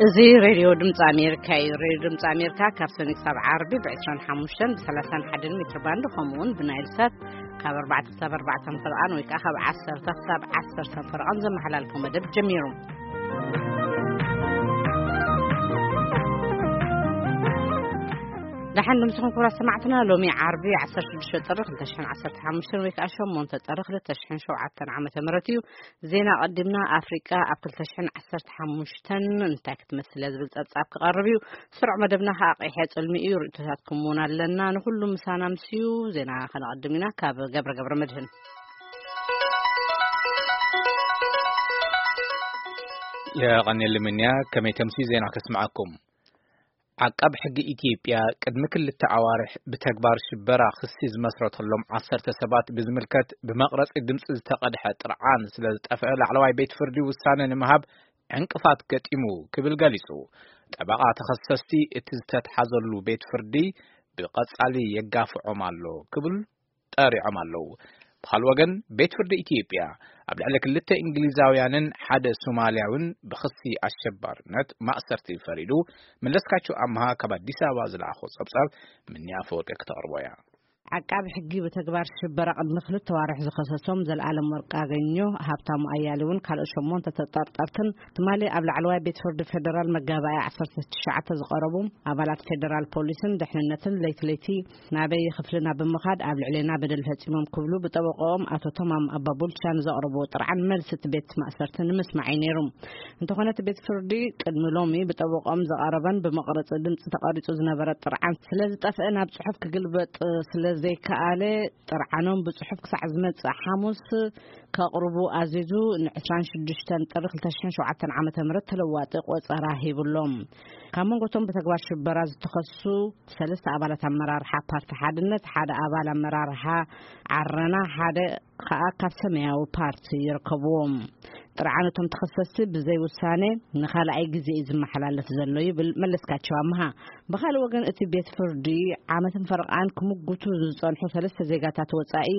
እዚ ሬድዮ ድምፂ ኣሜሪካ እዩ። ሬድዮ ድምፂ ኣሜሪካ ካብ ሰኒ ክሳብ ዓርቢ ብ25 ብ31 ሜትር ባንድ፣ ከምኡ እውን ብናይል ሳት ካብ ኣርባዕተ ክሳብ ኣርባዕተ ፈርቓን ወይ ከዓ ካብ ዓሰርተ ክሳብ ዓሰርተ ፈርቓን ዘመሓላልፎ መደብ ጀሚሩ። ደሓን ድምፅኹም ክቡራት ሰማዕትና። ሎሚ ዓርቢ ዓሰርተ ሽዱሽተ ጥሪ ክልተ ሽሕን ዓሰርተ ሓሙሽተን ወይ ከዓ ሸሞንተ ጥሪ ክልተ ሽሕን ሸውዓተን ዓመተ ምህረት እዩ። ዜና ቀዲምና። ኣፍሪቃ ኣብ ክልተ ሽሕን ዓሰርተ ሓሙሽተን እንታይ ክትመስል እያ ዝብል ጸብጻብ ክቐርብ እዩ። ስሩዕ መደብና ከዓ ቀይሐ ጽልሚ እዩ። ርእይቶታትኩም እውን ኣለና። ንኹሉ ምሳና ምስዩ ዜና ከነቐድም ኢና። ካብ ገብረ ገብረ መድህን። የቐኔል ምንያ፣ ከመይ ተምስዩ ዜና ከስምዓኩም። ዓቃብ ሕጊ ኢትዮጵያ ቅድሚ ክልተ ኣዋርሕ ብተግባር ሽበራ ክሲ ዝመስረተሎም ዓሰርተ ሰባት ብዝምልከት ብመቕረጺ ድምፂ ዝተቐድሐ ጥርዓን ስለ ዝጠፍአ ላዕለዋይ ቤት ፍርዲ ውሳነ ንምሃብ ዕንቅፋት ገጢሙ ክብል ገሊጹ። ጠበቓ ተኸሰስቲ እቲ ዝተትሓዘሉ ቤት ፍርዲ ብቐጻሊ የጋፍዖም ኣሎ ክብል ጠሪዖም ኣለዉ። ብኻልእ ወገን ቤት ፍርዲ ኢትዮጵያ ኣብ ልዕሊ ክልተ እንግሊዛውያንን ሓደ ሶማልያውን ብኽሲ ኣሸባርነት ማእሰርቲ ፈሪዱ። መለስካቸው ኣምሃ ካብ ኣዲስ ኣበባ ዝለኣኾ ጸብጻብ ምንያ ኣፈወርቂ ክተቕርቦ እያ። ዓቃቢ ሕጊ ብተግባር ሽበራ ቅድሚ ክልተ ዋርሕ ዝኸሰሶም ዘልኣለም ወርቅ ኣገኘ፣ ሃብታሙ ኣያሌውን ካልኦት ሸሞንተ ተጠርጠርትን ትማሊ ኣብ ላዕለዋይ ቤት ፍርዲ ፌደራል መጋባእያ ዓሰርተ ትሽዓተ ዝቐረቡ ኣባላት ፌደራል ፖሊስን ድሕንነትን ለይቲ ለይቲ ናበይ ክፍልና ብምኻድ ኣብ ልዕሌና በደል ፈጺሞም ክብሉ ብጠበቆኦም ኣቶ ተማም ኣባቡልቻ ንዘቕረብዎ ጥርዓን መልሲ እቲ ቤት ማእሰርቲ ንምስማዕ እዩ ነይሩ። እንተኾነ እቲ ቤት ፍርዲ ቅድሚ ሎሚ ብጠበቆኦም ዝቐረበን ብመቕረፂ ድምፂ ተቐሪፁ ዝነበረ ጥርዓን ስለ ዝጠፍአ ናብ ፅሑፍ ክግልበጥ ስለ ዘይከኣለ ጥርዓኖም ብፅሑፍ ክሳዕ ዝመፅእ ሓሙስ ከቕርቡ ኣዚዙ ን ዕስራን ሽዱሽተን ጥሪ ክልተ ሽሕን ሸውዓተን ዓመተ ምህረት ተለዋጢ ቆጸራ ሂብሎም። ካብ መንጎቶም ብተግባር ሽበራ ዝተኸሱ ሰለስተ ኣባላት ኣመራርሓ ፓርቲ ሓድነት፣ ሓደ ኣባል ኣመራርሓ ዓረና፣ ሓደ ከኣ ካብ ሰማያዊ ፓርቲ ይርከብዎም። ጥርዓን እቶም ተኸሰስቲ ብዘይ ውሳነ ንኻልኣይ ግዜ እዩ ዝመሓላለፍ ዘሎ ይብል መለስካቸው ኣምሃ። ብኻልእ ወገን እቲ ቤት ፍርዲ ዓመትን ፈርቓን ክምጉቱ ዝጸንሑ ሰለስተ ዜጋታት ወጻኢ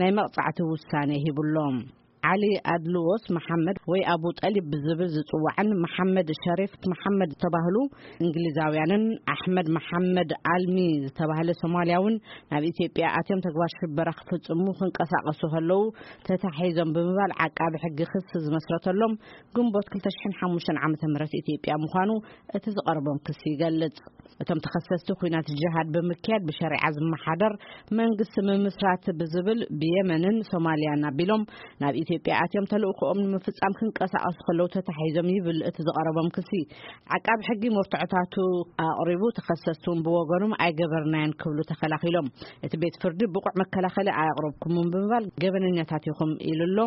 ናይ መቕጻዕቲ ውሳነ ሂብሎም። ዓሊ ኣድልዎስ መሓመድ ወይ ኣቡ ጠሊብ ብዝብል ዝጽዋዕን መሓመድ ሸሪፍ መሓመድ ዝተባህሉ እንግሊዛውያንን ኣሕመድ መሓመድ ኣልሚ ዝተባህለ ሶማልያውን ናብ ኢትዮጵያ ኣትዮም ተግባር ሽበራ ክፍጽሙ ክንቀሳቐሱ ከለዉ ተታሒዞም ብምባል ዓቃቢ ሕጊ ክሲ ዝመስረተሎም ግንቦት ክልተ ሽሕን ሓሙሽተን ዓመተ ምህረት ኢትዮጵያ ምዃኑ እቲ ዝቐረቦም ክሲ ይገልጽ። እቶም ተኸሰስቲ ኲናት ጅሃድ ብምክያድ ብሸሪዓ ዝመሓደር መንግስቲ ምምስራት ብዝብል ብየመንን ሶማልያን ኣቢሎም ናብ ኢትዮጵያ ኣትዮም ተልእኮኦም ንምፍጻም ክንቀሳቐሱ ከለዉ ተታሒዞም ይብል እቲ ዝቐረቦም ክሲ። ዓቃቢ ሕጊ መርትዖታቱ ኣቕሪቡ፣ ተኸሰስቲ እውን ብወገኖም ኣይገበርናዮን ክብሉ ተኸላኺሎም። እቲ ቤት ፍርዲ ብቑዕ መከላኸሊ ኣየቕረብኩምን ብምባል ገበነኛታት ኢኹም ኢሉ ኣሎ።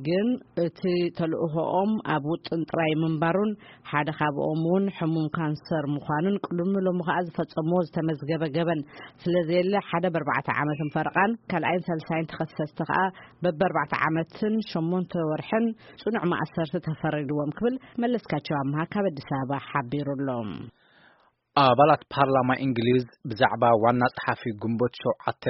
ግን እቲ ተልእኾኦም ኣብ ውጥን ጥራይ ምንባሩን ሓደ ካብኦም እውን ሕሙም ካንሰር ምዃኑን ቅድሚ ሎሚ ከኣ ዝፈጸምዎ ዝተመዝገበ ገበን ስለ ዘየለ ሓደ በርባዕተ ዓመትን ፈርቓን ካልኣይን ሳልሳይን ተኸሰስቲ ከኣ በበርባዕተ ዓመትን ሸሞንተ ወርሕን ጽኑዕ ማእሰርቲ ተፈሪድዎም ክብል መለስካቸው ኣምሃ ካብ ኣዲስ ኣበባ ሓቢሩ ኣሎ። ኣባላት ፓርላማ እንግሊዝ ብዛዕባ ዋና ጸሓፊ ግንቦት ሸውዓተ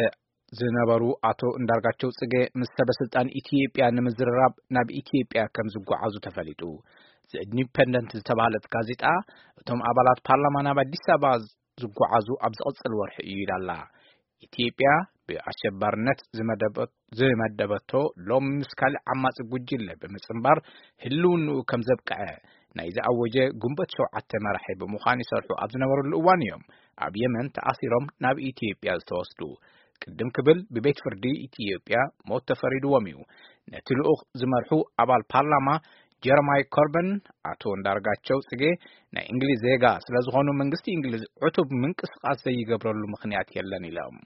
ዝነበሩ ኣቶ እንዳርጋቸው ጽጌ ምስ ሰበ ስልጣን ኢትዮጵያ ንምዝርራብ ናብ ኢትዮጵያ ከም ዝጓዓዙ ተፈሊጡ። ዘ ኢንዲፐንደንት ዝተባህለት ጋዜጣ እቶም ኣባላት ፓርላማ ናብ ኣዲስ ኣበባ ዝጓዓዙ ኣብ ዝቕጽል ወርሒ እዩ ኢላላ። ኢትዮጵያ ብኣሸባርነት ዝመደበ-፣ ዝመደበቶ ሎም ምስ ካልእ ዓማጺ ጉጅለ ብምጽንባር ህልውንኡ ከም ዘብቅዐ ናይ ዝኣወጀ ግንቦት ሸውዓተ መራሒ ብምዃን ይሰርሑ ኣብ ዝነበሩሉ እዋን እዮም ኣብ የመን ተኣሲሮም ናብ ኢትዮጵያ ዝተወስዱ። ቅድም ክብል ብቤት ፍርዲ ኢትዮጵያ ሞት ተፈሪድዎም እዩ። ነቲ ልኡኽ ዝመርሑ ኣባል ፓርላማ ጀረማይ ኮርበን ኣቶ እንዳርጋቸው ጽጌ ናይ እንግሊዝ ዜጋ ስለ ዝኾኑ መንግስቲ እንግሊዝ ዕቱብ ምንቅስቃስ ዘይገብረሉ ምኽንያት የለን ኢሎም።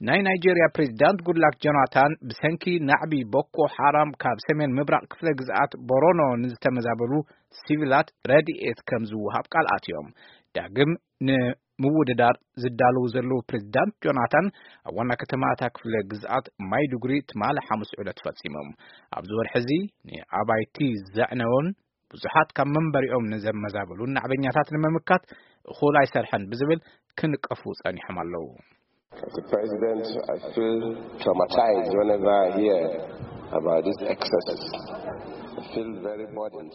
ናይ ናይጄርያ ፕሬዚዳንት ጉድላክ ጆናታን ብሰንኪ ናዕቢ ቦኮ ሓራም ካብ ሰሜን ምብራቕ ክፍለ ግዝኣት ቦሮኖ ንዝተመዛበሉ ሲቪላት ረድኤት ከም ዝወሃብ ቃል ኣትዮም። ዳግም ንምውድዳር ዝዳለዉ ዘለዉ ፕሬዚዳንት ጆናታን ኣብ ዋና ከተማ እታ ክፍለ ግዝኣት ማይዱጉሪ ትማሊ ሓሙስ ዕለት ፈጺሞም። ኣብዚ ወርሒ እዚ ንኣባይቲ ዘዕነውን ብዙሓት ካብ መንበሪኦም ንዘመዛበሉን ናዕበኛታት ንምምካት እኹል ኣይሰርሐን ብዝብል ክንቀፉ ጸኒሖም ኣለዉ። As a president, I feel traumatized whenever I hear about these excesses of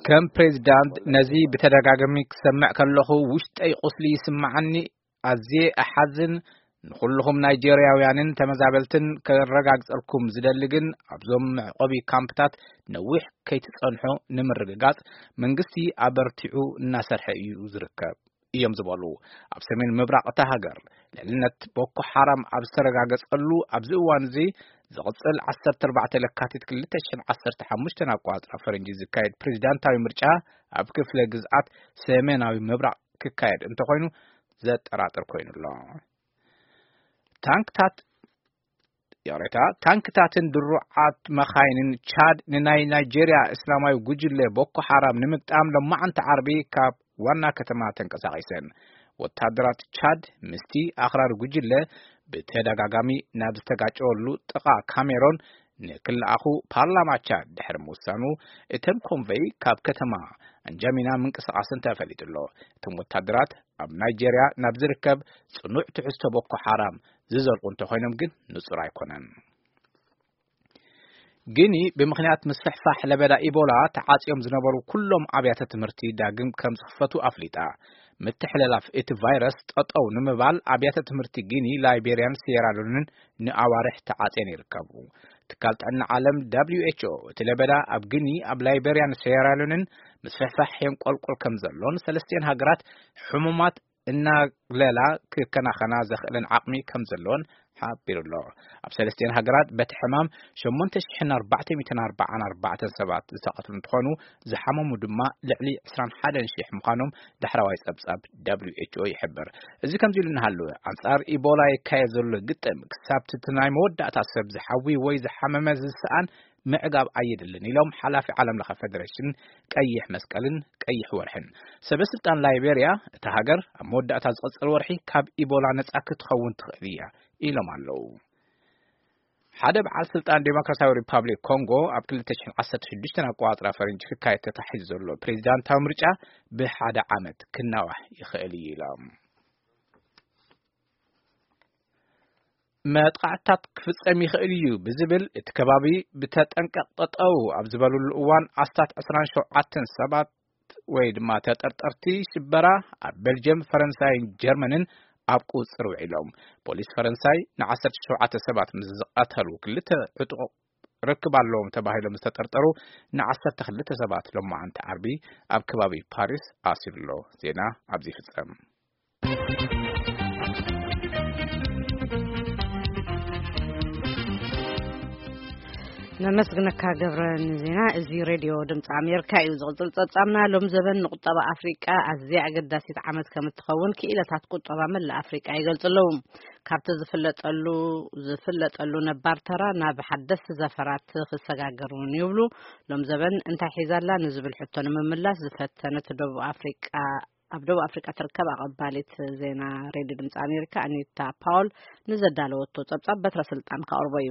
ከም ፕሬዚዳንት ነዚ ብተደጋጋሚ ክሰምዕ ከለኹ ውሽጠይ ቁስሊ ይስምዓኒ። ኣዝየ እሓዝን። ንኹልኹም ናይጄርያውያንን ተመዛበልትን ከረጋግጸልኩም ዝደሊ ግን ኣብዞም መዕቆቢ ካምፕታት ነዊሕ ከይትጸንሑ ንምርግጋጽ መንግስቲ ኣበርቲዑ እናሰርሐ እዩ ዝርከብ እዮም ዝበሉ። ኣብ ሰሜን ምብራቕ እታ ሃገር ልዕልነት ቦኮ ሓራም ኣብ ዝተረጋገጸሉ ኣብዚ እዋን እዚ ዝቕጽል ዓሰርተ ኣርባዕተ ለካቲት ክልተ ሽሕን ዓሰርተ ሓሙሽተን ኣቋጽራ ፈረንጂ ዝካየድ ፕሬዚዳንታዊ ምርጫ ኣብ ክፍለ ግዝኣት ሰሜናዊ ምብራቕ ክካየድ እንተኾይኑ ዘጠራጥር ኮይኑ ኣሎ። ታንክታት ይቕሬታ፣ ታንክታትን ድሩዓት መኻይንን ቻድ ንናይ ናይጄርያ እስላማዊ ጉጅለ ቦኮ ሓራም ንምግጣም ሎማዓንቲ ዓርቢ ካብ ዋና ከተማ ተንቀሳቒሰን። ወታደራት ቻድ ምስቲ ኣኽራሪ ጉጅለ ብተደጋጋሚ ናብ ዝተጋጨወሉ ጥቓ ካሜሮን ንክለኣኹ ፓርላማ ቻድ ድሕሪ ምውሳኑ፣ እተን ኮንቨይ ካብ ከተማ ኣንጃሚና ምንቅስቓስን ተፈሊጡ ኣሎ። እቶም ወታደራት ኣብ ናይጄርያ ናብ ዝርከብ ጽኑዕ ትሕዝቶ ቦኮ ሓራም ዝዘልቑ እንተኾይኖም ግን ንጹር ኣይኮነን። ግኒ ብምኽንያት ምስፍሕፋሕ ለበዳ ኢቦላ ተዓጽዮም ዝነበሩ ኩሎም ኣብያተ ትምህርቲ ዳግም ከም ዝኽፈቱ ኣፍሊጣ። ምትሕልላፍ እቲ ቫይረስ ጠጠው ንምባል ኣብያተ ትምህርቲ ግኒ፣ ላይቤርያን ሴራሉንን ንኣዋርሕ ተዓጽየን ይርከቡ። ትካል ጥዕና ዓለም ደብሊው ኤች ኦ እቲ ለበዳ ኣብ ግኒ፣ ኣብ ላይቤርያን ሴራሉንን ምስፍሕፋሕ የንቆልቆል ከም ዘሎን ሰለስቲኤን ሃገራት ሕሙማት እናግለላ ክከናኸና ዘኽእለን ዓቕሚ ከም ዘለወን ሓቢሩ ኣሎ። ኣብ ሰለስቲኤን ሃገራት በቲ ሕማም ሸሞንተ ሽሕን ኣርባዕተ ሚእትን ኣርባዓን ኣርባዕተን ሰባት ዝተቐትሉ እንትኾኑ፣ ዝሓመሙ ድማ ልዕሊ ዕስራን ሓደን ሺሕ ምዃኖም ዳሕረዋይ ጸብጻብ ደብሊው ኤች ኦ ይሕብር። እዚ ከምዚ ኢሉ እናሃለወ፣ ኣንጻር ኢቦላ ይካየድ ዘሎ ግጥም ክሳብ እቲ ናይ መወዳእታ ሰብ ዝሓዊ ወይ ዝሓመመ ዝሰኣን ምዕጋብ ኣየድልን ኢሎም ሓላፊ ዓለም ለኸ ፌደሬሽን ቀይሕ መስቀልን ቀይሕ ወርሕን። ሰበ ስልጣን ላይቤርያ፣ እታ ሃገር ኣብ መወዳእታ ዝቐጽል ወርሒ ካብ ኢቦላ ነጻ ክትኸውን ትኽእል እያ ኢሎም ኣለዉ። ሓደ በዓል ስልጣን ዴሞክራሲያዊ ሪፓብሊክ ኮንጎ ኣብ ክልተ ሽሕን ዓሰርተ ሽዱሽተን ኣቋጽራ ፈረንጂ ክካየድ ተታሒዙ ዘሎ ፕሬዚዳንታዊ ምርጫ ብሓደ ዓመት ክናዋሕ ይኽእል እዩ ኢሎም። መጥቃዕትታት ክፍጸም ይኽእል እዩ ብዝብል እቲ ከባቢ ብተጠንቀቕ ጠጠው ኣብ ዝበሉሉ እዋን ኣስታት ዕስራን ሸውዓተን ሰባት ወይ ድማ ተጠርጠርቲ ሽበራ ኣብ ቤልጅየም፣ ፈረንሳይን ጀርመንን ኣብ ቁጽር ውዒሎም። ፖሊስ ፈረንሳይ ንዓሰርተ ሸውዓተ ሰባት ምስ ዝቐተሉ ክልተ ዕጡቕ ርክብ ኣለዎም ተባሂሎም ዝተጠርጠሩ ንዓሰርተ ክልተ ሰባት ሎማዓንቲ ዓርቢ ኣብ ከባቢ ፓሪስ ኣሲሩ ኣሎ። ዜና ኣብዚ ይፍጸም። ነመስግነካ ገብረ ንዜና። እዚ ሬድዮ ድምፂ ኣሜሪካ እዩ። ዝቕፅል ፀብፃብና ሎም ዘበን ንቁጠባ ኣፍሪቃ ኣዝያ ኣገዳሲት ዓመት ከም እትኸውን ክኢለታት ቁጠባ መላእ ኣፍሪቃ ይገልፁ ኣለዉ። ካብቲ ዝፍለጠሉ ዝፍለጠሉ ነባር ተራ ናብ ሓደስቲ ዘፈራት ክሰጋገር እውን ይብሉ። ሎም ዘበን እንታይ ሒዛላ ንዝብል ሕቶ ንምምላስ ዝፈተነት ደቡብ ኣፍሪቃ ኣብ ደቡብ ኣፍሪቃ ትርከብ ኣቐባሊት ዜና ሬድዮ ድምፂ ኣሜሪካ ኣኒታ ፓውል ንዘዳለወቶ ጸብጻብ በትረ ስልጣን ከቕርቦ እዩ።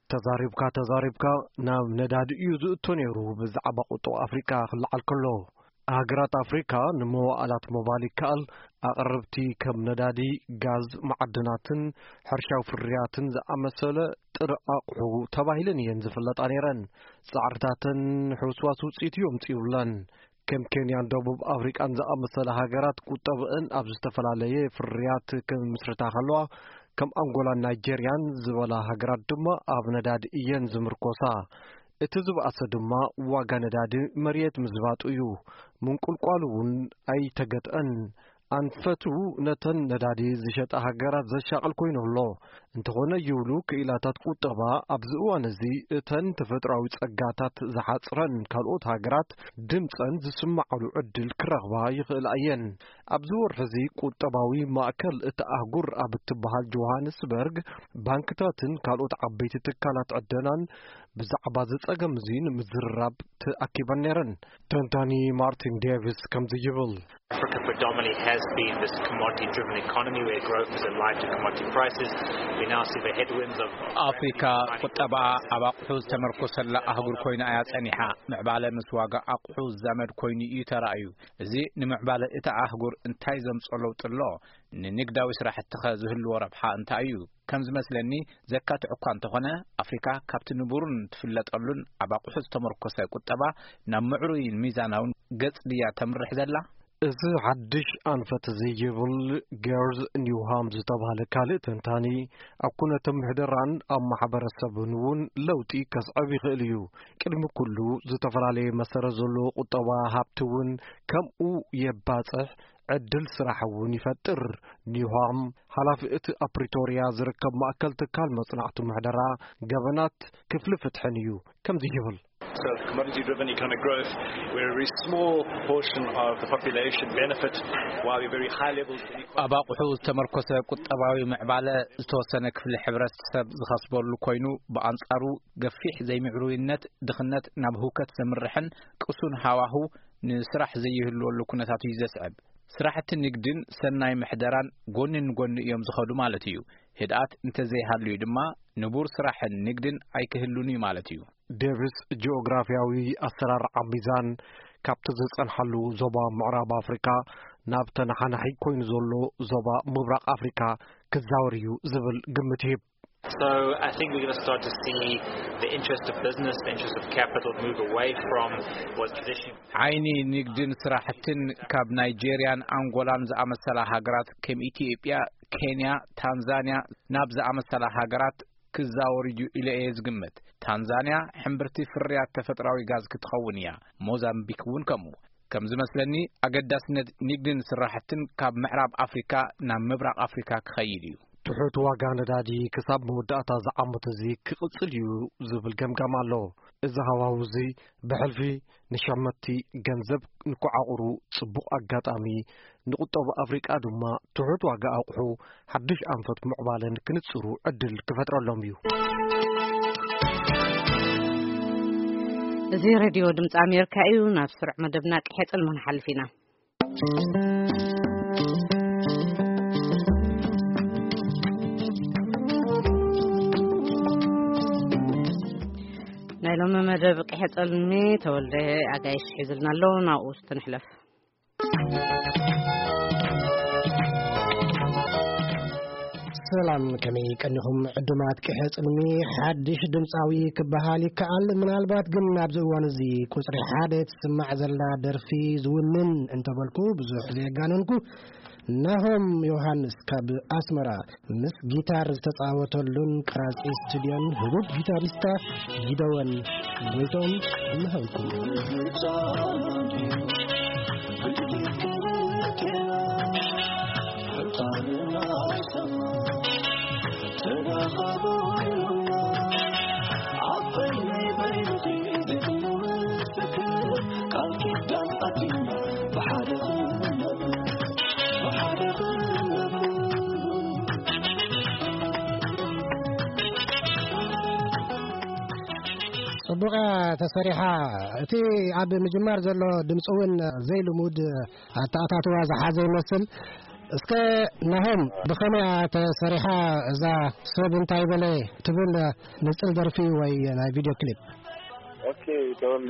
ተዛሪብካ ተዛሪብካ ናብ ነዳዲ እዩ ዝእቶ ነይሩ። ብዛዕባ ቁጠባ ኣፍሪቃ ክለዓል ከሎ፣ ሃገራት ኣፍሪካ ንመዋእላት ምባል ይከኣል፣ ኣቕርብቲ ከም ነዳዲ፣ ጋዝ፣ መዓድናትን ሕርሻዊ ፍርያትን ዝኣመሰለ ጥረ ኣቑሑ ተባሂለን እየን ዝፍለጣ ነይረን። ጻዕርታተን ሕውስዋስ ውጽኢት እዩ ኣምጺኡለን። ከም ኬንያን ደቡብ ኣፍሪቃን ዝኣመሰላ ሃገራት ቁጠብአን ኣብ ዝተፈላለየ ፍርያት ክምስርታ ከለዋ፣ ከም ኣንጎላን ናይጀርያን ዝበላ ሃገራት ድማ ኣብ ነዳዲ እየን ዝምርኮሳ። እቲ ዝበኣሰ ድማ ዋጋ ነዳዲ መሬት ምዝባጡ እዩ። ምንቁልቋሉ እውን ኣይተገትአን። ኣንፈቱ ነተን ነዳዲ ዝሸጣ ሃገራት ዘሻቕል ኮይኑ ኣሎ። እንተኾነ ይብሉ ክኢላታት ቁጠባ፣ ኣብዚ እዋን እዚ እተን ተፈጥሮኣዊ ጸጋታት ዝሓጽረን ካልኦት ሃገራት ድምጸን ዝስማዓሉ ዕድል ክረኽባ ይኽእላ እየን። ኣብዚ ወርሒ እዚ ቁጠባዊ ማእከል እታ ኣህጉር ኣብ እትበሃል ጆሃንስበርግ፣ ባንክታትን ካልኦት ዓበይቲ ትካላት ዕደናን ብዛዕባ እዚ ጸገም እዚ ንምዝርራብ ተኣኪበን ነይረን። ተንታኒ ማርቲን ዴቪስ ከምዚ ይብል። Africa predominantly has been this commodity-driven economy where growth is aligned to commodity prices. Now see the headwinds of ኣፍሪካ ቁጠባኣ ኣብ ኣቑሑ ዝተመርኮሰላ ኣህጉር ኮይና እያ ጸኒሓ። ምዕባለ ምስ ዋጋ ኣቑሑ ዝዛመድ ኮይኑ እዩ ተራእዩ። እዚ ንምዕባለ እታ ኣህጉር እንታይ ዘምጾ ለውጢ ኣሎ? ንንግዳዊ ስራሕቲ ኸ ዝህልዎ ረብሓ እንታይ እዩ? ከም ዝመስለኒ፣ ዘካትዕ እኳ እንተኾነ፣ ኣፍሪካ ካብቲ ንቡርን ትፍለጠሉን ኣብ ኣቑሑ ዝተመርኮሰ ቁጠባ ናብ ምዕሩይን ሚዛናውን ገጽ ድያ ተምርሕ ዘላ? እዚ ሓድሽ ኣንፈት እዚ ይብል ጌርዝ ኒውሃም ዝተባህለ ካልእ ተንታኒ፣ ኣብ ኩነተ ምሕደራን ኣብ ማሕበረሰብን እውን ለውጢ ከስዕብ ይኽእል እዩ። ቅድሚ ኩሉ፣ ዝተፈላለየ መሰረት ዘለዎ ቁጠባ ሃብቲ እውን ከምኡ የባጽሕ፣ ዕድል ስራሕ እውን ይፈጥር። ኒውሃም፣ ሓላፊ እቲ ኣብ ፕሪቶርያ ዝርከብ ማእከል ትካል መጽናዕቲ ምሕደራ ገበናት ክፍሊ ፍትሕን እዩ። ከምዚ ይብል። So commodity-driven economic growth, where a very small portion of the population benefit while very high levels of inequality. ኣብ ኣቑሑ ዝተመርኮሰ ቁጠባዊ ምዕባለ ዝተወሰነ ክፍሊ ሕብረተሰብ ዝኸስበሉ ኮይኑ፣ ብኣንጻሩ ገፊሕ ዘይምዕሩይነት፣ ድኽነት ናብ ህውከት ዘምርሕን ቅሱን ሃዋህው ንስራሕ ዘይህልወሉ ኩነታት እዩ ዘስዕብ። ስራሕቲ ንግድን ሰናይ ምሕደራን ጎኒ ንጎኒ እዮም ዝኸዱ ማለት እዩ። ህድኣት እንተዘይሃልዩ ድማ፣ ንቡር ስራሕን ንግድን ኣይክህሉን እዩ ማለት እዩ። ዴቪስ፣ ጂኦግራፍያዊ ኣሰራርዓ ሚዛን ካብቲ ዝጸንሓሉ ዞባ ምዕራብ ኣፍሪካ ናብ ተነሓናሒ ኮይኑ ዘሎ ዞባ ምብራቕ ኣፍሪካ ክዛወር እዩ ዝብል ግምት ይህብ። So I think we're going to start to see the interest of business, the interest of capital move away from what's traditionally ዓይኒ ንግድን ስራሕትን ካብ ናይጄርያን ኣንጎላን ዝኣመሰላ ሃገራት፣ ከም ኢትዮጵያ፣ ኬንያ፣ ታንዛንያ ናብ ዝኣመሰላ ሃገራት ክዛወር እዩ ኢለ እየ ዝግምት። ታንዛንያ ሕምብርቲ ፍርያት ተፈጥራዊ ጋዝ ክትኸውን እያ። ሞዛምቢክ እውን ከምኡ። ከም ዝመስለኒ፣ ኣገዳስነት ንግድን ስራሕትን ካብ ምዕራብ ኣፍሪካ ናብ ምብራቕ ኣፍሪካ ክኸይድ እዩ። ትሑት ዋጋ ነዳዲ ክሳብ መወዳእታ ዝዓመት እዚ ክቕጽል እዩ ዝብል ገምጋም ኣሎ። እዚ ሃዋህው እዚ ብሕልፊ ንሸመትቲ ገንዘብ ንኮዓቑሩ ጽቡቕ ኣጋጣሚ፣ ንቁጠባ ኣፍሪቃ ድማ ትሑት ዋጋ ኣቑሑ ሓድሽ ኣንፈት ምዕባለን ክንጽሩ ዕድል ክፈጥረሎም እዩ። እዚ ሬድዮ ድምፂ ኣሜሪካ እዩ። ናብ ስሩዕ መደብና ቅሔ ጽልሚ ንሓልፍ ኢና። ናይ ሎሚ መደብ ቅሔ ጸልሚ ተወልደ ኣጋይሽ ሒዝልና ኣሎ። ናብኡ እስቲ ንሕለፍ። ሰላም፣ ከመይ ቀኒኹም ዕዱማት ቅሔ ጽልሚ? ሓድሽ ድምጻዊ ክበሃል ይከኣል። ምናልባት ግን ኣብዚ እዋን እዚ ቁጽሪ ሓደ ትስማዕ ዘላ ደርፊ ዝውንን እንተበልኩ ብዙሕ ዘየጋነንኩ። ናሆም ዮሃንስ ካብ ኣስመራ ምስ ጊታር ዝተጻወተሉን ቀራጺ ስቱድዮን ህቡብ ጊታሪስታ ጊደወን ጎይቶም እነሆልኩም። ጽቡቕ ተሰሪሓ። እቲ ኣብ ምጅማር ዘሎ ድምፂ እውን ዘይልሙድ ኣተኣታትዋ ዝሓዘ ይመስል። እስከ ናሆም፣ ብኸመይ እያ ተሰሪሓ እዛ ሰብ እንታይ በለ ትብል ንጽል ደርፊ ወይ ናይ ቪድዮ ክሊፕ? ኦኬ፣ ተወልደ፣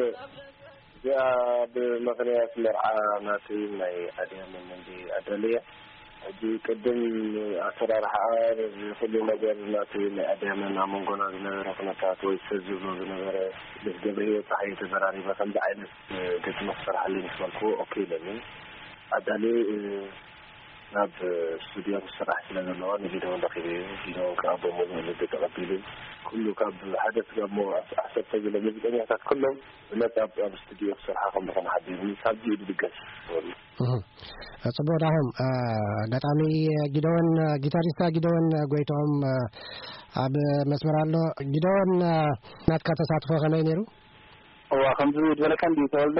እዚኣ ብምኽንያት መርዓ ናተይ ናይ ኣድያመን እንዲ ኣዳልያ። ሕጂ ቅድም ኣሰራርሓኣ፣ እዚ ኩሉ ነገር ናተይ ናይ ኣድያመን ኣብ መንጎና ዝነበረ ኩነታት ወይ ሰብ ዝብሎ ዝነበረ ምስ ገብረ ህይወት ጸሓየ ተዘራሪበ ከምዚ ዓይነት ግጥሚ ክሰርሓለይ ምስ በልኩዎ ኦኬ ኢለኒ። ኣዳልየ ናብ ስቱድዮ ክስራሕ ስለ ዘለዎ ንጊደውን ረኺበዮ። ጊደውን ከዓ ብምሉእ ልቢ ተቐቢሉ፣ ኩሉ ካብ ሓደ ስጋብ ሞ ዓሰርተ ዝለ ሙዚቀኛታት ኩሎም ብነጻ ኣብ፣ ኣብ ስቱድዮ ክሰርሓ ከም ዝኾነ ሓቢሩኒ። ካብዚ እዩ ድገስ ዝበሉ። እህ። ጽቡቕ ዳሆም፣ እ፣ ገጣሚ ጊደወን፣ ጊታሪስታ ጊደወን ጎይትኦም፣ እ፣ ኣብ መስመር ኣሎ። ጊደወን፣ እ፣ ናትካ ተሳትፎ ከመይ ነይሩ? እዋ፣ ከምዚ ዝበለካ እንዲ ተወልደ፣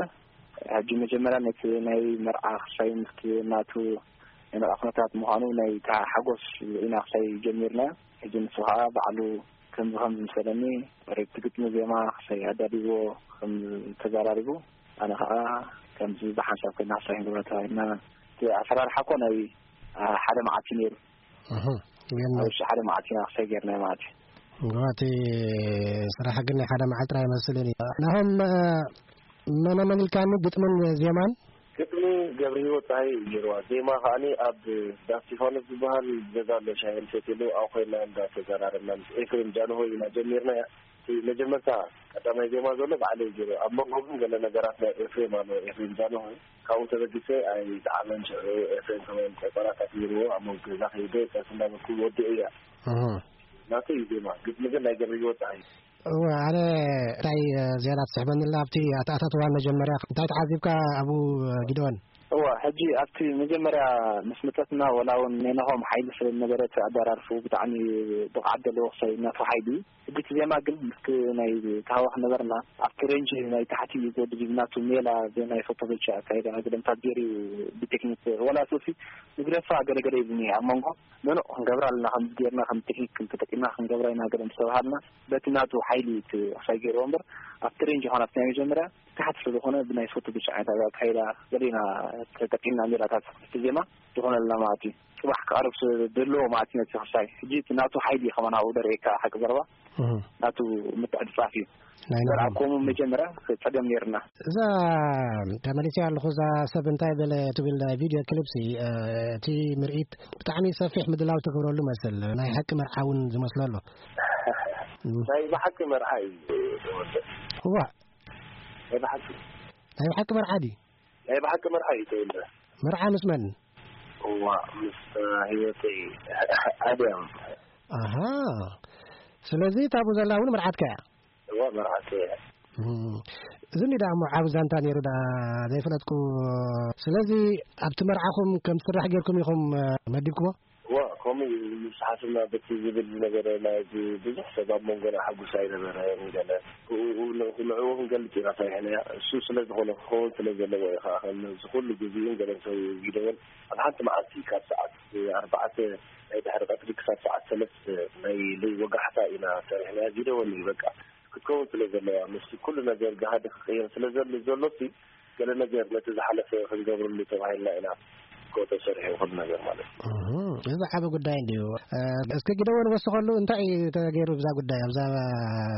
ሕጂ መጀመርያ ነቲ ናይ መርዓ ክሳይ ምስቲ ናቱ ናይ መርዓ ኩነታት ምዃኑ ናይ እታ ሓጎስ ርኢና ክሳይ ጀሚርና። ሕጂ ንሱ ኸዓ ባዕሉ ከምዚ ከምዚ ምሰለኒ፣ ሬት ግጥሚ ዜማ ክሳይ ኣዳሊዎ ከም ተዘራሪቡ፣ ኣነ ኸዓ ከምዚ ብሓንሳብ ኮይና ክሳይ ክንገብራ ተባሂልና። እቲ ኣሰራርሓ እኮ ናይ፣ አ፣ ሓደ መዓልቲ ነይሩ። እህ። የለን። ኣብ ውሽጢ ሓደ መዓልቲ ኢና ክሳይ ጌርና ማለት እዩ። እዋ፣ እቲ ስራሕ ግን ናይ ሓደ መዓልቲ ጥራይ ይመስልን እዩ። ናሆም፣ እ፣ መነ መን ኢልካኒ? ግጥምን ዜማን? ግጥሚ ገብረ ህይወት ፀሃየ እዩ ገይርዋ። ዜማ ከዓኒ ኣብ ዳስ እስጢፋኖስ ዝበሃል ገዛ ኣሎ፣ ሻሂ ንሰትየሉ፣ ኣብኡ ኮይንና እንዳተዘራረብና ምስ ኤፍሬም ጃንሆይ ኢና ጀሚርናያ። እቲ መጀመርታ ቀዳማይ ዜማ ዘሎ ባዕለይ ገይረ። ኣብ መንጎ ግን ገለ ነገራት ናይ ኤፍሬም ኣሎ፣ ኤፍሬም ጃንሆይ። ካብኡ ተበጊሰ ኣይጠዓመን። ሽዑ ኤፍሬም ከማን ቆጸራታት ገይርዎ፣ ኣብ መንጎ ገዛ ከይደ ጸርፊ እንዳበልኩ ወዲኤያ። እህ። ናተይ እዩ ዜማ፣ ግጥሚ ግን ናይ ገብረ ህይወት ፀሃየ። እወ፣ ኣነ እንታይ፣ እ፣ ዝያዳ ትስሕበኒ ኣላ ኣብቲ ኣተኣታትዋ መጀመርያ እንታይ ተዓዚብካ ኣብኡ፣ እ፣ ጊደወን? እወ፣ ሕጂ ኣብቲ መጀመርያ ምስ መጸትና ወላ እውን ናይ ናሆም ሓይሊ ስለ ዝነበረ እቲ ኣደራርፉ ብጣዕሚ ብቕዓት ዘለዎ ክሳይ ናቱ ሓይሊ እዩ። ሕጂ እቲ ዜማ ግን ምስቲ ናይ ተሃዋኽ ነበርና ኣብቲ ሬንጅ ናይ ታሕቲ እዩ ዝወድድ እዩ። ናቱ ሜላ ብናይ ፎቶ ብቻ ኣካይዳ ግደምታት ገይሩ እዩ ብቴክኒክ ወላ ሶሲ ንግደፋ ገለገለ ይብልኒ ኣብ መንጎ መኖ ክንገብራ ኣለና፣ ከም ጌርና ከም ቴክኒክ ተጠቂምና ክንገብራ ኢና ገለ ምስ ተባሃልና በቲ ናቱ ሓይሊ እዩ እቲ ክሳይ ገይርዎ እምበር ኣብቲ ሬንጅ ይኾን ኣብቲ ናይ መጀመርያ ታሕቲ ስለ ዝኾነ ብናይ ፎቶ ብቻ ዓይነት ኣካይዳ ገለ ኢና ተጠቂምና ሜላታት እቲ ዜማ ዝኾነልና ማለት እዩ። ጽባሕ ክቐርብ ስ-፣ ዘለዎ ማለት እዩ ነቲ ክሳይ። ሕጂ እቲ ናቱ ሓይሊ እዩ ከማን ኣብኡ ደርእየካ ሓቂ ዘረባ። እህ። ናቱ ምትዕጽጻፍ እዩ። ናይ ዘርኣ ናሆም። ኮሙ መጀመርያ ጸገም ነይርና። እዛ ተመሊሰ ኣለኹ፣ እዛ ሰብ እንታይ በለ ትብል ናይ ቪድዮ ክሊፕ ሲ፣ እ፣ እቲ ምርኢት ብጣዕሚ ሰፊሕ ምድላው ትገብረሉ መስል። ናይ ሓቂ መርዓ እውን ዝመስሎ ኣሎ። ናይ ብሓቂ መርዓ እዩ ተወልደ። እዋ። ናይ ብሓቂ። ናይ ብሓቂ መርዓ ድዩ? ናይ ብሓቂ መርዓ እዩ ተወልደ። መርዓ ምስ መን? እዋ፣ ምስ ህይወተይ ኣድያም። ኣሃ። ስለዚ እታ ኣብኡ ዘላ እውን መርዓትካ እያ? እዋ፣ መርዓተይ እያ። እም። እዚ እንዲ ደኣ እሞ ዓቢ ዛንታ ነይሩ ደኣ ዘይፈለጥኩ። ስለዚ ኣብቲ መርዓኹም ከም ትስራሕ ጌርኩም ኢኹም፣ እ፣ መዲብኩሞ? እዋ፣ ከምኡ እዩ። ምስ ሓፍትና በቲ ዝብል ዝነበረ ናይ ብ-፣ ብዙሕ ሰብ ኣብ መንጎና ሕጉስ ኣይነበረን ገለ። ብኡ-፣ ን-፣ ንዕኡ ክንገልጽ ኢና ሰሪሕናያ። እሱ ስለ ዝኾነ ክኸውን ስለ ዘለዎ እዩ ኸዓ፣ ከም እዚ ኩሉ ግዜኡን ገለን ሰብ ጊደወን ኣብ ሓንቲ መዓልቲ ካብ ሰዓት ኣርባዕተ ናይ ድሕሪ ቀትሪ ክሳብ ሰዓት ሰለስተ ናይ ለይ ወጋሕታ ኢና ሰሪሕናያ። ጊደወን እዩ በቃ። ክትከውን ስለ ዘለዋ፣ ምስቲ ኩሉ ነገር ጋህዲ ክቕየር ስለ ዘል-፣ ዘሎሲ፣ ገለ ነገር ነቲ ዝሓለፈ ክንገብረሉ ተባሂልና ኢና። እኮ ተሰሪሑ ኩሉ ነገር ማለት እዩ። እህ፣ እዚ ዓቢ ጉዳይ እንድዩ። እ፣ እስከ ግደወን ወስኸሉ፣ እንታይ እዩ ተገይሩ ብዛ ጉዳይ፣ ኣብዛ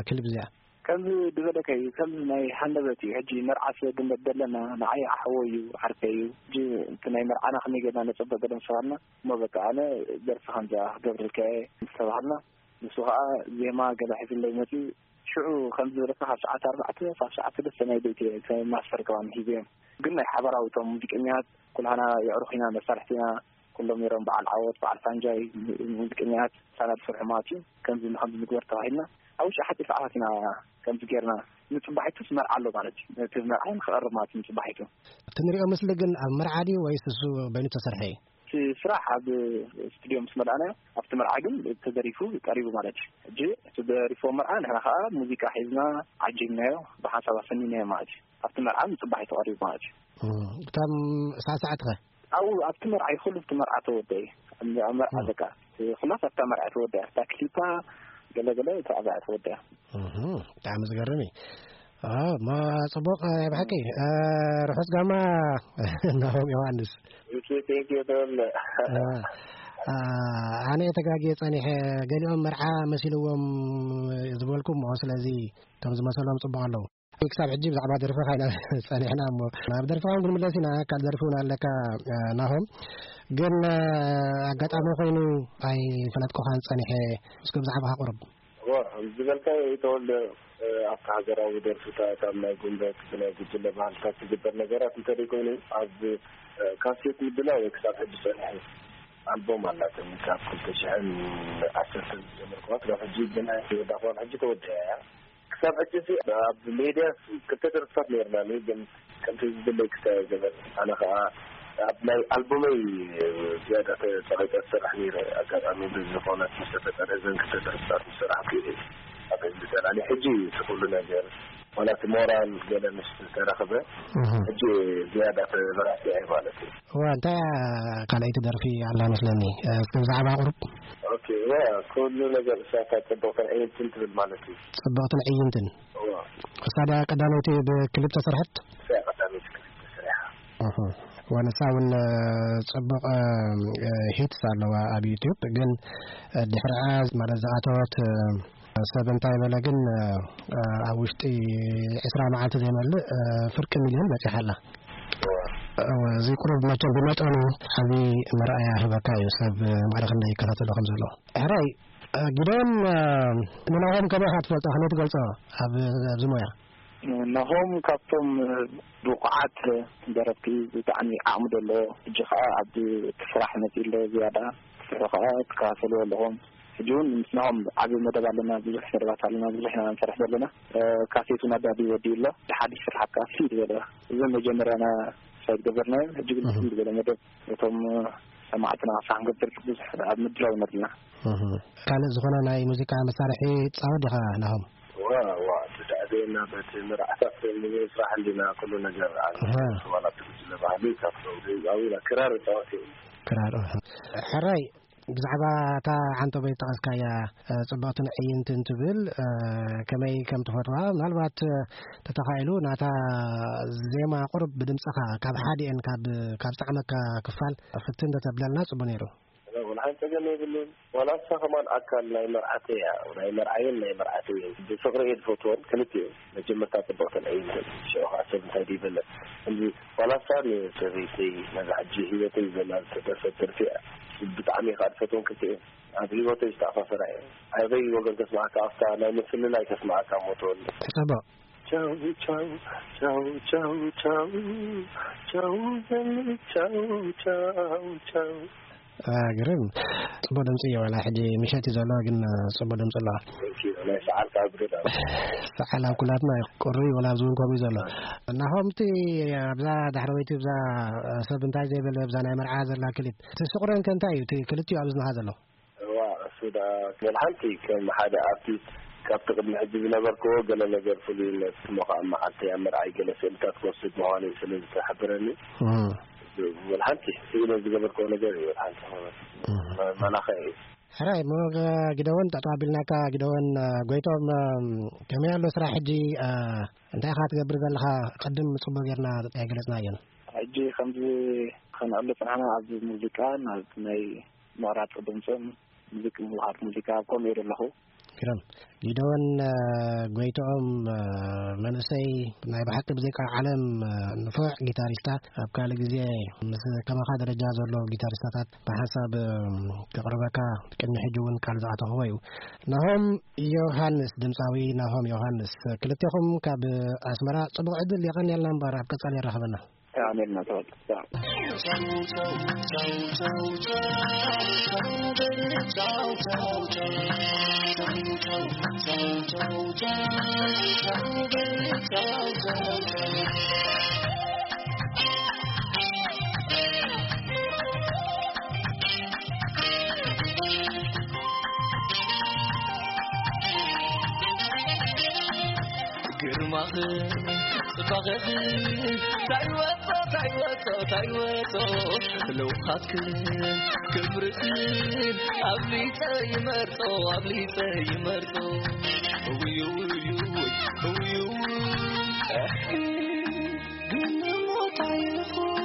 ክሊፕ እዚኣ? ከምዚ ዝበለካ እዩ፣ ከምዚ ናይ ሃንደበት እዩ። ሕጂ መርዓ ስለ ግንበት ዘለና፣ ንዓይ ኣሕወይ እዩ፣ ዓርከይ እዩ። ሕጂ እቲ ናይ መርዓና ከመይ ጌርና ነጸብቕ ገለ ምስ ተባሃልና፣ እሞ በቃ ኣነ ደርፊ ከምዚኣ ክገብረልካ እየ ምስ ተባሃልና፣ ንሱ ኸኣ ዜማ ገለ ሒዙለይ መጺኡ፣ ሽዑ ከም ዝበለካ ካብ ሰዓት ኣርባዕተ ክሳብ ሰዓት ሰለስተ ናይ ለይቲ እየ፣ እቲ ማስተር ከማን ሂበዮም። ግን ናይ ሓባራዊ እቶም ሙዚቀኛታት ኩላህና የዕሩኽ ኢና፣ መሳርሕቲ ኢና፣ ኩሎም ነይሮም፣ በዓል ዓወት፣ በዓል ፋንጃይ፣ ሙዚቀኛታት፣ ስታንዳርድ ስርሑ ማለት እዩ። ከምዚ ንከምዚ ንግበር ተባሂልና፣ ኣብ ውሽጢ ሓፂር ሰዓታት ኢና ከምዚ ጌርና። ንፅባሒቱስ መርዓ ኣሎ ማለት እዩ። ነቲ መርዓ ንክቐርብ ማለት እዩ ንፅባሒቱ። እቲ ንሪኦ ምስሊ ግን ኣብ መርዓ ድዩ ወይስ እሱ በይኑ ተሰርሐ እዩ? እቲ ስራሕ ኣብ ስቱድዮ ምስ መርኣናዮ፣ ኣብቲ መርዓ ግን ተደሪፉ ቀሪቡ ማለት እዩ። ሕጂ እቲ ደሪፎ መርዓ ንሕና ከኣ ሙዚቃ ሒዝና ዓጂብናዮ፣ ብሓንሳብ ኣሰኒናዮ ማለት እዩ። ኣብቲ መርዓ ንጽባሒቱ ቀሪቡ ማለት እዩ። እም፣ እቶም ሳዕሳዕቲ ኸ? ኣብኡ ኣብቲ መርዓ እዩ፣ ኩሉ ኣብቲ መርዓ ተወደአ እዩ። ኣብ መርዓ እም። በቃ፣ ኩላስ ኣብታ መርዓ ተወደአ። ኣብታ ክሊፓ ገለ ገለ ኣብታ ኣብኣ ተወደአ። እህ፣ ብጣዕሚ ዝገርም እዩ። አ፣ ማ-፣ ጽቡቕ፣ እ፣ ብሓቂ፣ እ፣ ርሑስ ጋማ ናሆም ዮሃንስ። Thank you, thank you፣ ተወለ። እ፣ አ፣ ኣነ እየ ተጋግየ ጸኒሐ፣ ገሊኦም መርዓ መሲልዎም ዝበልኩ እሞ፣ ስለዚ እቶም ዝመሰሎም ጽቡቕ ኣለዉ። ክሳብ ሕጂ ብዛዕባ ደርፍኻ ኢና ጸኒሕና እሞ፣ ናብ ደርፍኻ እውን ክንምለስ ኢና። ካልእ ደርፊ እውን ኣለካ፣ እ፣ ናሆም። ግን፣ እ፣ ኣጋጣሚ ኮይኑ ኣይፈለጥኩኻን ጸኒሐ። እስኪ ብዛዕባኻ ቁሩብ። እወ፣ ከምዚ ዝበልካዮ ተወልደ፣ እ፣ ኣብቲ ሃገራዊ ደርፍታት፣ ኣብ ናይ ጉንበት፣ ብናይ ጉጅለ ባህልታት ዝግበር ነገራት እንተደይኮይኑ፣ ኣብ፣ እ፣ ካሴት ምድላው ክሳብ ሕጂ ጸኒሐ። ኣልቦም ኣላትኒ፣ ካብ ክልተ ሽሕን ዓሰርተን ዝጀመርኩዋ ክሳብ ሕጂ፣ ብናይ ወዳእኳ ሕጂ ተወዲኣ እያ። ክሳብ ሕጂ እዚ ኣብ ሜድያ ክልተ ደርፍታት ነይርናኒ፣ ግን ከምቲ ዝድለይ ክሳብ ገለ ኣነ ኸኣ ኣብ ናይ ኣልቡመይ ዝያዳ ተጸቒጠ ዝሰርሕ ነይረ። ኣጋጣሚ ብዝኾነ ምስ ተፈጠረ እዘን ክልተ ደርፍታት ዝሰራሕኩ እየ ኣብ ህዝቢ ጸላሊ። ሕጂ እቲ ኩሉ ነገር ዋላ እቲ ሞራል ገለ ምስ ተረኽበ፣ እህ። ሕጂ ዝያዳ ተበራቲዐ ማለት እዩ። እዋ፣ እንታይ እያ ካልኣይቲ ደርፊ ኣላ መስለኒ? እስኪ ብዛዕባ ቁሩብ። ኦኬ፣ እዋ፣ ኩሉ ነገር እሳታ ጽብቕትን ዕይንትን ትብል ማለት እዩ። ጽብቕትን ዕይንትን። እዋ። እሳ ድያ ቀዳመይቲ ብክሊፕ ተሰርሐት? እሳ ቀዳመይቲ ክሊፕ ተሰሪሓ። እህ። ወንሳ እውን ጽቡቕ ሂትስ ኣለዋ ኣብ ዩቲዩብ። ግን ድሕሪኣ ማለት ዝኣተወት ሰብ እንታይ በለ ግን፣ ኣብ ውሽጢ ዕስራ መዓልቲ ዘይመልእ ፍርቂ ሚልዮን በጺሓ ኣላ። እዚ ቁሩብ መቸም ብመጠኑ ዓቢ መርኣያ ህበካ እዩ፣ ሰብ ማዕረ ክንደይ ይከታተሎ ከም ዘሎ። ሕራይ፣ ጊደን፣ ንናሆም ከመይ ኢኻ ትፈልጦ? ከመይ ትገልጾ? ኣብ ኣብዚ ሞያ? ናሆም ካብቶም ብቑዓት ደረፍቲ፣ ብጣዕሚ ዓቕሚ ዘለዎ፣ ሕጂ ኸኣ ኣብ እቲ ስራሕ መጺኡ ኣሎ። ዝያዳ ክስርሑ ኸኣ ትከታተልዎ ኣለኹም። ሕጂ እውን ምስ ናሆም ዓቢ መደብ ኣለና፣ ብዙሕ መደባት ኣለና፣ ብዙሕ ኢና ንሰርሕ ዘለና። ካሴት እውን ኣዳልዩ ወዲኡ ኣሎ። ሓድሽ ስራሕ ከኣ ፍልይ ዝበለ፣ እዚ መጀመርያና ሳይት ገበርናዮ፣ ሕጂ ግን ፍልይ ዝበለ መደብ እቶም ሰማዕትና ክሳዕ ክንገብር ብዙሕ ኣብ ምድላው ኢና ዘለና። ካልእ ዝኾነ ናይ ሙዚቃ መሳርሒ ትጻወት ዲኻ ናሆም? ዋ፣ ዋ፣ ትዳእደና በቲ መርዓታት ንምስራሕ እንዲና ኩሉ ነገር። ኣሃ። ዋላ እቲ ጉጅለ ባህሊ ካብቶም ዘይዛዊ ክራር እጻወት እየ። ክራር፣ ኣሃ። ሕራይ፣ ብዛዕባ እታ ዓንተቦይ ዝጠቐስካያ፣ እ፣ ጽብቕትን ዕይንትን ትብል፣ እ፣ ከመይ ከም ትፈትዋ፣ ምናልባት፣ እ፣ ተተኻኢሉ ናታ ዜማ ቁሩብ ብድምጽኻ ካብ ሓዲኤን ካብ፣ ካብ ዝጠዓመካ ክፋል ፍትን እንተተብለልና ጽቡቕ ነይሩ። ወላ ሓንቲ ጸገም የብሉን። ዋላ እሳ ከማን ኣካል ናይ መርዓተይ እያ፣ ናይ መርዓየን ናይ መርዓተይን። ብፍቕሪ እየ ዝፈትወን ክልቲኡ። መጀመርታ ጽብቕትን ዕይንትን፣ ሽዑ ኸዓ ሰብ እንታይ ድዩ ይበለ። እንዲ ዋላ እሳ ንሰበይተይ፣ ነዛ ሕጂ ህይወተይ ዘላ ዝተደርፈት ደርፊ እያ። ብጣዕሚ እየ ኸዓ ዝፈትወን ክልቲኡ። ኣብ ህይወተይ ዝተኣሳሰራ እየ። ኣበይ ወገን ከስምዓካ፣ ኣብታ ናይ ምፍልላይ ከስምዓካ እሞ ተወልደ። ጽቡቕ። ቻው፣ ቻው፣ ቻው፣ ቻው፣ ቻው፣ ቻው፣ ቻው፣ ቻው፣ ቻው። አ፣ ግርም። ጽቡቕ ድምጺ እዩ። ዋላ ሕጂ ምሸት እዩ ዘሎ፣ ግን፣ አ፣ ጽቡቕ ድምጺ ኣለዋ። Thank you። ናይ ሰዓል ካብ ግዳ። ሰዓል ኣብ ኩላትና እዩ። ቁሪ ዋላ ኣብዚ እውን ከምኡ እዩ ዘሎ። ናሆም፣ እቲ ኣብዛ ዳሕረወይቲ፣ ኣብዛ፣ አ፣ ሰብ እንታይ ዘይበለ፣ ኣብዛ ናይ መርዓ ዘላ ክሊፕ፣ እቲ ስቑረን ከ እንታይ እዩ? እቲ ክልቲኡ ኣብ እዝንኻ ዘሎ? እዋ፣ እሱ ደኣ ወላ ሓንቲ ከም ሓደ ኣርቲስት ካብቲ ቅድሚ ሕጂ ዝነበርክዎ ገለ ነገር ፍሉይነት፣ እሞ ኸዓ መዓልቲ ኣብ መርዓይ ገለ ስእልታት ክወስድ ምዃኑ እዩ ስለ ዝተሓበረኒ፣ እም። ወላ ሓንቲ ስእለ ዝገበርክዎ ነገር እዩ፣ ወላ ሓንቲ ኾነ። እም። መ-፣ መላኸ እዩ። ሕራይ፣ እሞ ገ-፣ ግደወን ጠጠው ኣቢልናካ፣ ግደወን፣ እ፣ ጎይቶም፣ እም፣ ከመይ ኣሎ ስራሕ ሕጂ? እ፣ እንታይ ኢኻ ትገብር ዘለኻ? ቅድም ጽቡቕ ጌርና ኣይገለጽናዮን። ሕጂ ከምዚ ከነዕሉ ጽናሕና ኣብ ሙዚቃን ኣብ ናይ ምቕራጽ ድምጽን ሙዚቅ ምውሃድ ሙዚቃ ኣብ ከምኡ እየ ዘለኹ። ግርም። ጊደዎን፣ እ፣ ጎይትኦም፣ እ፣ መንእሰይ ናይ ብሓቂ ብዘይቃ ዓለም፣ እ፣ ንፉዕ ጊታሪስታ፣ ኣብ ካልእ ግዜ ምስ ከማኻ ደረጃ ዘሎ ጊታሪስታታት ብሓንሳብ፣ እ፣ ከቕርበካ ቅድሚ ሕጂ እውን ቃል ዝኣተኽዎ እዩ። ናሆም ዮሃንስ፣ ድምፃዊ ናሆም ዮሃንስ፣ ክልቴኹም ካብ ኣስመራ ጽቡቕ ዕድል የቐንየልና እምበር ኣብ ቀጻሊ የራኽበና። ኣሜን። ግርማኽን ጽባቐኽን ታይወጾ፣ ታይወጾ፣ ታይወጾ፣ ለውሃትክን ክብርኽን ኣብሊጸ ይመርጾ፣ ኣብሊጸ ይመርጾ። ውይ፣ ውይ፣ ውይ፣ ውይ፣ ውይ። ግን ሞታይ ይኹን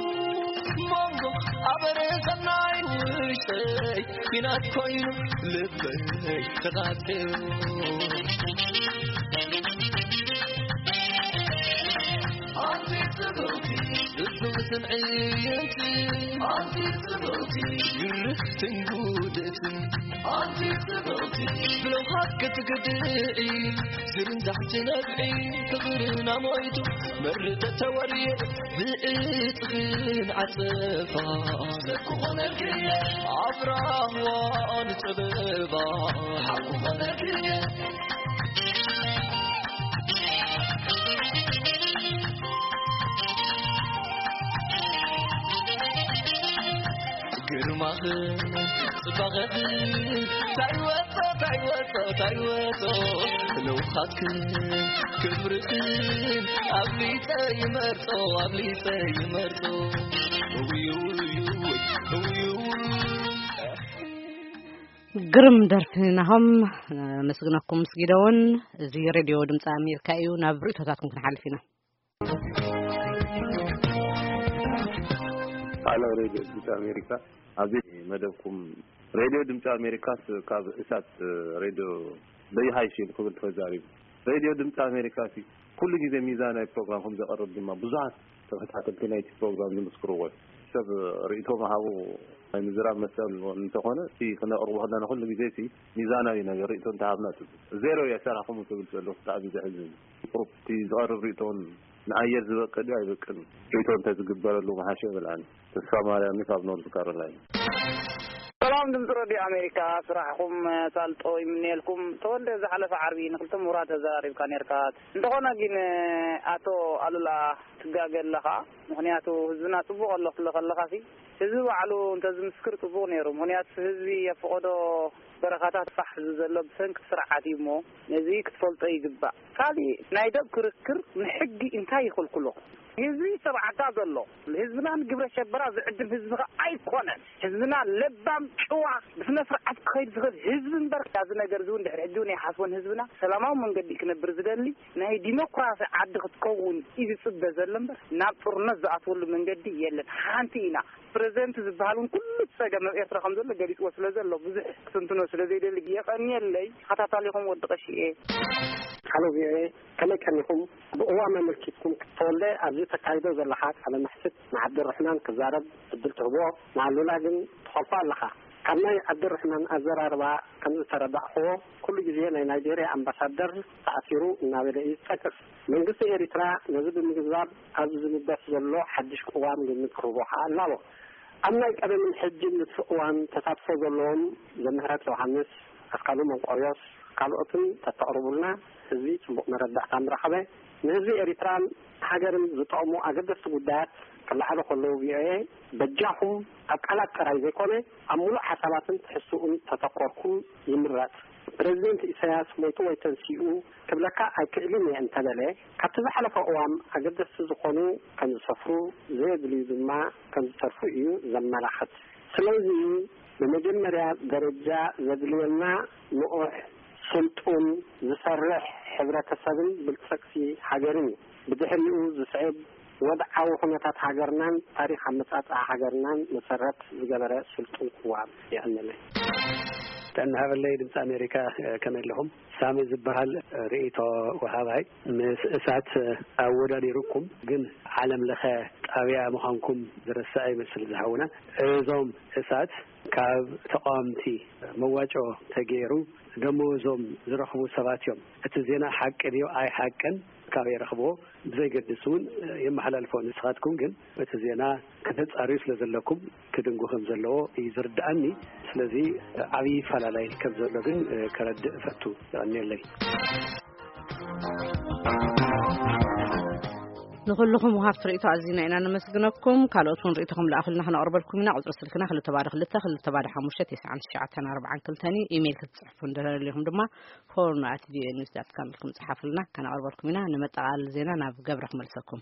መንጎ ኣበረ ሰናይ ውሽጠይ ኲናት ኮይኑ ልበይ ተቓጽዮ። ኣንቲ ጽብቕቲ፣ ጽብቕትን ዕይንትን፣ ኣንቲ ጽብቕቲ፣ ግርህትን ጉድእትን፣ ኣንቲ ጽብቕቲ፣ ብለውሃት ክትግድዒ፣ ዝርንዛሕ ትነብዒ፣ ፍቕርና ሞይቱ፣ መርተ ተወርየ፣ ብእጥኽን ዓጸፋ፣ ስኩ ኾነልክየ፣ ኣብ ራህዋን ጸበባ፣ ሓቁ ኾነልክየ። ግርማኽን ጽባቐኽን ታይወጾ፣ ታይወጾ፣ ታይወጾ፣ ለውሃትክን ክብርኽን ኣብሊጸ ይመርጾ፣ ኣብሊጸ ይመርጾ። ውይ፣ ውይ፣ ውይ፣ ውይ፣ ውይ። ግርም ደርፊ ናሆም፣ ነመስግነኩም ምስ ጊደውን። እዚ ሬድዮ ድምፂ ኣሜሪካ እዩ። ናብ ርእቶታትኩም ክንሓልፍ ኢና። ቃለ ሬድዮ ድምፂ ኣሜሪካ፣ ኣብዚ መደብኩም ሬድዮ ድምፂ ኣሜሪካስ ካብ እሳት ሬድዮ በይሃይሽ ኢሉ ክብል ተዛሪቡ። ሬድዮ ድምፂ ኣሜሪካ ሲ ኩሉ ግዜ ሚዛናዊ ፕሮግራም ከም ዘቕርብ ድማ ብዙሓት ተኸታተልቲ ናይቲ ፕሮግራም ዝምስክርዎ እዩ። ሰብ ርእይቶ ምሃቡ ናይ ምዝራብ መሰል እንተኾነ፣ እቲ ክነቕርቦ ከለና ኩሉ ግዜ ሲ ሚዛናዊ ነገር ርእይቶ እንተሃብና ጽቡቅ። ዜሮ እየ ሰራሕኹም ክብል ዘለኹ ብጣዕሚ ዘሕዝን እዩ። ቁሩብ እቲ ዝቐርብ ርእይቶ እውን ንኣየር ዝበቅል እዩ ኣይበቅልን ርእይቶ እንተዝግበረሉ ምሓሸ ይብልዓኒ። ተስፋ ማርያም ካብ ኖርዝ ካሮላይና። ሰላም ድምፂ ረድዮ ኣሜሪካ፣ ስራሕኹም ኣሳልጦ ይምነየልኩም። ተወልደ፣ ዝሓለፈ ዓርቢ ንክልተ ምሁራት ተዘራሪብካ ነርካ። እንተኾነ ግን ኣቶ ኣሉላ ትጋገ ኣለኻ። ምኽንያቱ ህዝብና ጽቡቕ ኣሎ ክትብሎ ከለኻ ሲ ህዝቢ ባዕሉ እንተዝምስክር ጽቡቕ ነይሩ። ምኽንያቱ ህዝቢ ኣብ ፈቐዶ በረኻታት ፋሕ ዝብል ዘሎ ብሰንኪ ስርዓት እዩ እሞ ነዚ ክትፈልጦ ይግባእ። ካሊእ ናይ ደብ ክርክር ንሕጊ እንታይ ይኽልክሎ? ህዝቢ ሰብዓካ ዘሎ ህዝብና ንግብረ ሸበራ ዝዕድም ህዝቢ ኸ ኣይኮነን። ህዝብና ለባም፣ ጭዋ፣ ብስነ ስርዓት ክኸይድ ዝኽእል ህዝቢ እምበር፣ እዚ ነገር እዚ እውን ድሕሪ ሕጂ እውን ኣይሓስቦን። ህዝብና ሰላማዊ መንገዲ ክነብር ዝደሊ ናይ ዲሞክራሲ ዓዲ ክትከውን እዩ ዝጽበ ዘሎ እምበር፣ ናብ ጦርነት ዝኣትወሉ መንገዲ የለን። ሓንቲ ኢና። ፕረዚደንት ዝበሃል እውን ኩሉ ጸገም ኣብ ኤርትራ ከም ዘሎ ገሊጽዎ ስለ ዘሎ፣ ብዙሕ ክትንትኖ ስለ ዘይደሊ፣ የቐንየለይ። ተኸታታሊኹም ወዲ ቀሺ እየ። ሃሎ ቪኦኤ፣ ከመይ ቀኒኹም? ብእዋም ኣመልኪትኩም ክትተወልደ ኣብዚ ተካይዶ ዘለኻ ቃለ መሕትት ንዓብደረሕማን ክዛረብ ዕድል ትህቦ፣ ንኣሉላ ግን ትኸልፎ ኣለኻ። ካብ ናይ ዓብደረሕማን ኣዘራርባ ከም ዝተረዳእኽዎ፣ ኩሉ ግዜ ናይ ናይጄርያ ኣምባሳደር ተኣሲሩ እናበለ እዩ ዝጠቅስ። መንግስቲ ኤሪትራ ነዚ ብምግንዛብ ኣብዚ ዝልበስ ዘሎ ሓድሽ ቅዋም ግምት ክህቦ ከኣ ኣላቦ። ኣብ ናይ ቀደምን ሕጅን ንሱ እዋን ተሳትፎ ዘለዎም ዘምህረት ዮሃንስ፣ ኣስካሉ መንቆርዮስ፣ ካልኦትን ተተቕርቡልና ህዝቢ ጽቡቕ መረዳእታ ምረኸበ። ንህዝቢ ኤሪትራን ሃገርን ዝጠቕሙ ኣገደስቲ ጉዳያት ክለዓሉ ከለዉ ቪኦኤ በጃኹም ኣብ ቃላት ጥራይ ዘይኮነ ኣብ ምሉእ ሓሳባትን ትሕዝትኡን ተተኮርኩም ይምረጽ። ፕረዚደንት ኢሳያስ ሞይቱ ወይ ተንሲኡ ክብለካ ኣይክእልን እየ እንተበለ፣ ካብቲ ዝሓለፈ እዋም ኣገደስቲ ዝኾኑ ከም ዝሰፍሩ፣ ዘየድልዩ ድማ ከም ዝተርፉ እዩ ዘመላኽት። ስለዚ ብመጀመርያ ደረጃ ዘድልየና ንቑሕ፣ ስልጡን፣ ዝሰርሕ ሕብረተሰብን ብልጽግቲ ሃገርን እዩ። ብድሕሪኡ ዝስዕብ ወድዓዊ ኩነታት ሃገርናን ታሪኽ ኣመጻጽኣ ሃገርናን መሰረት ዝገበረ ስልጡን ቅዋም የቐንየለይ። ጥዕና ሃበለይ ድምፂ ኣሜሪካ፣ ከመይ ኣለኹም? ሳሚ ዝበሃል ርእይቶ ወሃባይ ምስ እሳት ኣወዳዲሩኩም፣ ግን ዓለም ለኸ ጣብያ ምዃንኩም ዝረስዐ ይመስል ዝሃውና። እዞም እሳት ካብ ተቃወምቲ መዋጮ ተገይሩ ደመወዞም ዝረኽቡ ሰባት እዮም። እቲ ዜና ሓቂ ድዮ ኣይሓቅን ካበይ ረኽብዎ ብዘይገድስ እውን የመሓላልፎ። ንስኻትኩም ግን እቲ ዜና ከተጻርዩ ስለ ዘለኩም ክድንጉ ከም ዘለዎ እዩ ዝርድኣኒ። ስለዚ ዓብዪ ይፈላለይ ከም ዘሎ ግን ከረድእ እፈቱ። የቐንየለይ። ንኹልኹም ወሃብቲ ርእይቶ ኣዚና ኢና ነመስግነኩም። ካልኦት እውን ርእይቶኹም ለኣኹልና ክነቕርበልኩም ኢና። ቁጽሪ ስልክና ክልተ ባዶ ክልተ፣ ክልተ ባዶ ሓሙሽተ፣ ተስዓን ትሽዓተን ኣርባዓን ክልተን እዩ። ኢሜይል ክትጽሕፉ እንደደለኹም ድማ ሆርን ኣት ቪኦኤ ኒውስ ዳት ካም ኢልኩም ጽሓፉልና፣ ከነቕርበልኩም ኢና። ንመጠቓለሊ ዜና ናብ ገብረ ክመልሰኩም።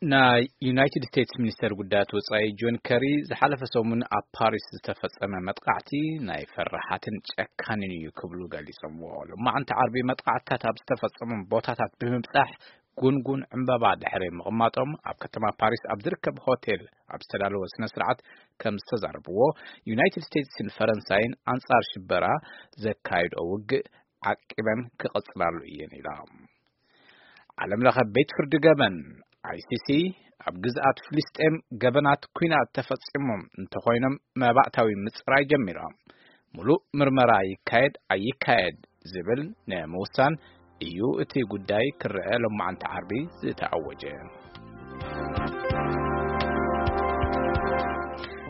ናይ ዩናይትድ ስቴትስ ሚኒስተር ጉዳያት ወጻኢ ጆን ከሪ ዝሓለፈ ሰሙን ኣብ ፓሪስ ዝተፈጸመ መጥቃዕቲ ናይ ፈራሓትን ጨካንን እዩ ክብሉ ገሊጾምዎ። ሎማዕንቲ ዓርቢ መጥቃዕትታት ኣብ ዝተፈጸሞም ቦታታት ብምብጻሕ ጉንጉን ዕምበባ ድሕሪ ምቕማጦም ኣብ ከተማ ፓሪስ ኣብ ዝርከብ ሆቴል ኣብ ዝተዳለወ ስነ ስርዓት ከም ዝተዛረብዎ፣ ዩናይትድ ስቴትስን ፈረንሳይን ኣንጻር ሽበራ ዘካይድኦ ውግእ ዓቂበን ክቕጽላሉ እየን ኢላ። ዓለም ለኸ ቤት ፍርዲ ገበን፣ ኣይሲሲ፣ ኣብ ግዝኣት ፍልስጤም ገበናት ኲናት ተፈጺሞም እንተኾይኖም መባእታዊ ምጽራይ ጀሚሮም። ሙሉእ ምርመራ ይካየድ ኣይካየድ ዝብል ንምውሳን እዩ እቲ ጉዳይ ክረአ ሎማዓንቲ ዓርቢ ዝተኣወጀ።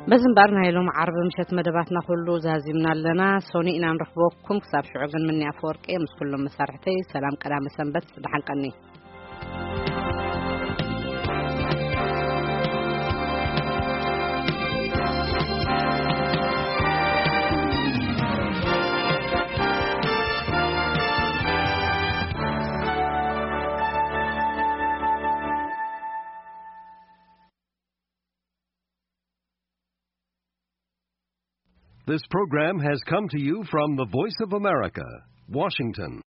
በዚ እምበኣር ናይ ሎም ዓርቢ ምሸት መደባትና ኩሉ ዛዚምና ኣለና። ሶኒ ኢና ንረኽበኩም። ክሳብ ሽዑ ግን ምኒ ኣፈወርቂ ምስ ኩሎም መሳርሕተይ ሰላም ቀዳመ ሰንበት፣ ደሓን ቀኒ። This program has come to you from the Voice of America, Washington.